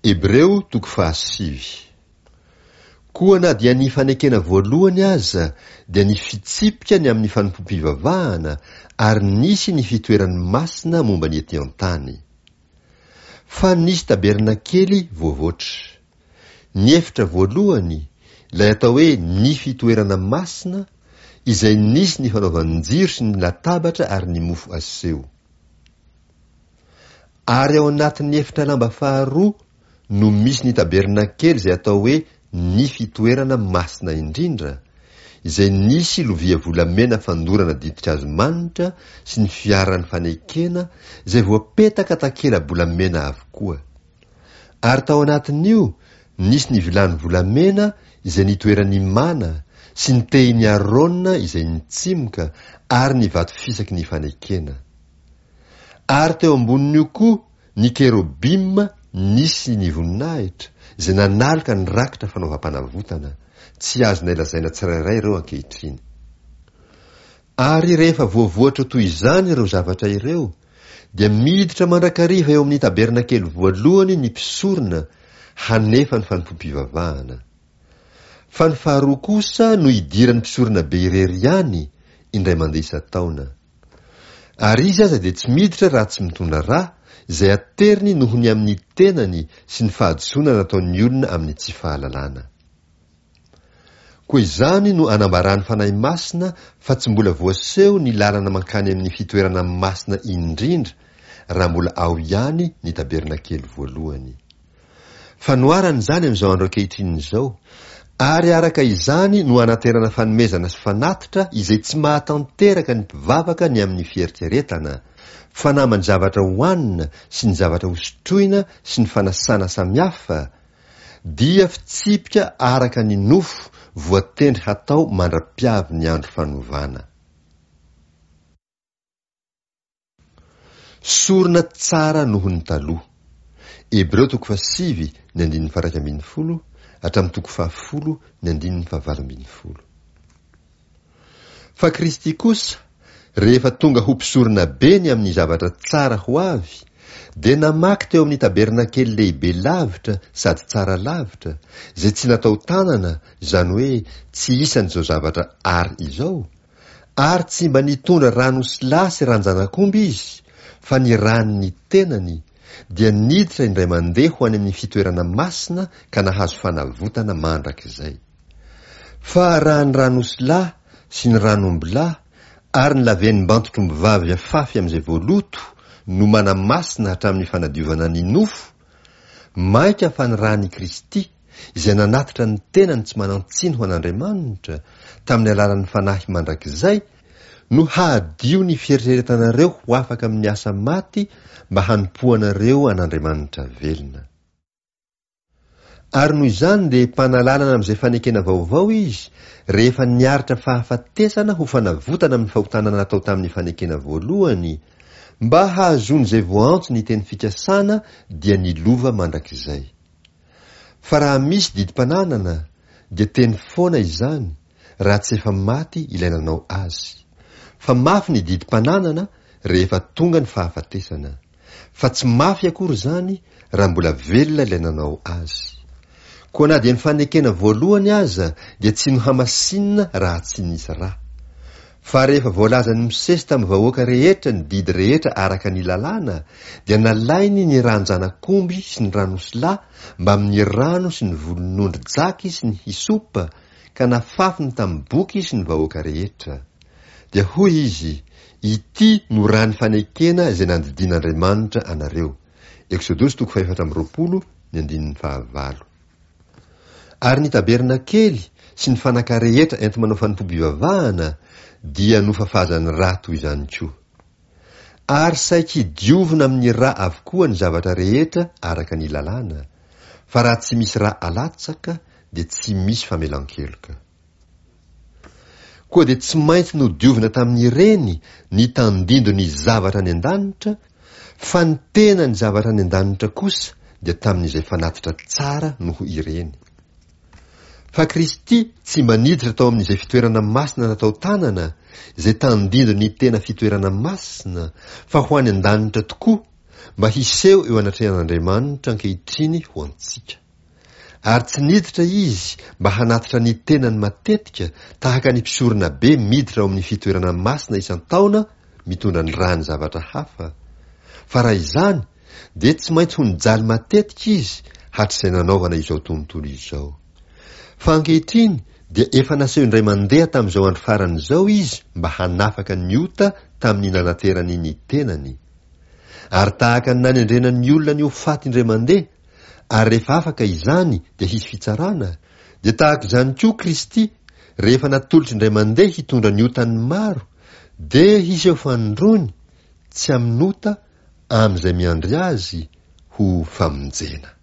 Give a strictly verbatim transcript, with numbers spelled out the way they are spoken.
Hebreo toko fahasivy. Koa na dia ny fanekena voalohany aza dia ny fitsipika ny amin'ny fanompoam-pivavahana ary nisy ny fitoerany masina momba ny ety an-tany. Fa nisy tabernakely voavoatra. Ny efitra voalohany, ilay atao hoe ny fitoerana masina, izay nisy ny fanaovan-jiro sy ny latabatra ary ny mofo aseho. Ary ao anatin'ny efitra lamba faharoa no misy ny tabernakely izay atao hoe ny fitoerana masina indrindra, izay nisy lovia volamena fandorana ditin-kazo manitra sy ny fiaran'ny fanekena izay voapetaka takela-bolamena avokoa. Ary tao anatin'io nisy ny vilany volamena izay nitoeran'ny mana sy ny tehin'i Arona izay nitsimoka ary ny vato fisaky ny fanekena. Ary teo ambonin'io koa ny kerobima nisy ny voninahitra izay nanaloka ny rakitra fanaovam-panavotana, tsy azonay lazaina tsirairay ireo ankehitriny. Ary rehefa voavoatra toy izany ireo zavatra ireo, dia miditra mandrakariva eo amin'ny tabernakely voalohany ny mpisorona hanefa ny fanompoam-pivavahana. Fa ny faharoa kosa no idiran'ny mpisorona be irery ihany indray mandeha isan-taona. Ary izy aza dia tsy miditra raha tsy mitondra rà, izay ateriny noho ny amin'ny tenany sy ny fahadisoana nataon'ny olona amin'ny tsy fahalalana. Koa izany no anambaran'ny Fanahy Masina fa tsy mbola voaseho ny lalana mankany amin'ny fitoerana masina indrindra raha mbola ao ihany ny tabernakely voalohany. Fanoharana izany amin'izao andro ankehitriny izao, ary araka izany no anaterana fanomezana sy fanatitra izay tsy mahatanteraka ny mpivavaka ny amin'ny fieritreretana, fa naman'ny zavatra hohanina sy ny zavatra hosotroina sy ny fanasana samihafa, dia fitsipika araka ny nofo voatendry hatao mandra-piavy ny andro fanovana. Sorona tsara noho ny taloha. Hebreo toko fahasivy ny andininy faha-iraika ambin'ny folo hatramin'ny toko fahafolo ny andininy fahavalo ambin'ny folo. Fa Kristy kosa, rehefa tonga ho mpisorona be ny amin'ny zavatra tsara ho avy, dia namaky teo amin'ny tabernakely lehibe lavitra sady tsara lavitra, izay tsy natao tanana, izany hoe tsy isan'izao zavatra ary izao, ary tsy mba nitondra ran'osilahy sy ran-janak'omby izy, fa ny ran'ny tenany, dia niditra indray mandeha ho any amin'ny fitoerana masina ka nahazo fanavotana mandrakizay. Fa raha ny ran'osilahy sy ny ran'ombilahy ary ny lavenim-bantotr'ombivavy afafy amin'izay voaloto no manamasina hatramin'ny fanadiovana ny nofo, mainka fa ny ran'i Kristy, izay nanatitra ny tenany tsy manan-tsiny ho an'Andriamanitra, tamin'ny alalan'ny Fanahy mandrakizay, no hahadio ny fieritreretanareo ho afaka amin'ny asa maty mba hanompoanareo an'Andriamanitra velona. Ary noho izany dia mpanalalana amin'izay fanekena vaovao izy, rehefa niaritra fahafatesana ho fanavotana amin'ny fahotana natao tamin'ny fanekena voalohany, mba hahazoan'izay voaantso ny teny fikasana dia ny lova mandrakizay. Fa raha misy didim-pananana, dia teny foana izany, raha tsy efa maty ilay nanao azy. Fa mafy ny didim-pananana rehefa tonga ny fahafatesana. Fa tsy mafy akory izany raha mbola velona ilay nanao azy. Koa na dia ny fanekena voalohany aza dia tsy nohamasinina raha tsy nisy rà. Fa rehefa voalazan'i Mosesy tamin'ny vahoaka rehetra ny didy rehetra araka ny lalàna, dia nalainy ny ràn-janak'omby sy ny ran'osilahy mbamin'ny rano sy ny volon'ondry jaky sy ny hysopa, ka nafafiny tamin'ny boky sy ny vahoaka rehetra. Dia hoy izy, Ity no ràn'ny fanekena izay nandidian'Andriamanitra anareo. Eksodosy toko fahefatra amby roapolo, ny andininy fahavalo. Ary ny tabernakely sy ny fanaka rehetra enti-manao fanompoam-pivavahana dia nofafazan'ny rà toy izany koa. Ary saiky diovina amin'ny rà avokoa ny zavatra rehetra araka ny lalàna, fa raha tsy misy rà alatsaka dia tsy misy famelan-keloka. Koa dia tsy maintsy nodiovina tamin'ireny ny tandindon'ny zavatra any an-danitra, fa ny tenan'ny zavatra any an-danitra kosa dia tamin'izay fanatitra tsara noho ireny. Fa Kristy tsy mba niditra tao amin'izay fitoerana masina natao tanana, izay tandindon'ny tena fitoerana masina, fa ho any an-danitra tokoa, mba hiseho eo anatrehan'Andriamanitra ankehitriny ho antsika. Ary tsy niditra izy mba hanatitra ny tenany matetika tahaka ny mpisorona be miditra ao amin'ny fitoerana masina isan-taona mitondra ny ràny zavatra hafa, fa raha izany dia tsy maintsy ho nijaly matetika izy hatrizay nanaovana izao tontolo izao. Fa ankehitriny dia efa naseho indray mandeha tamin'izao andro farany izao izy mba hanafaka ny ota tamin'ny nanaterany ny tenany. Ary tahaka ny nanendrena ny olona ny ho faty indray mandeha, ary rehefa afaka izany dia hisy fitsarana, dia tahaka izany koa Kristy, rehefa natolotra indray mandeha hitondra ny otan'ny maro, dia hiseho fanindroany, tsy amin'ota, amin'izay miandry azy ho famonjena.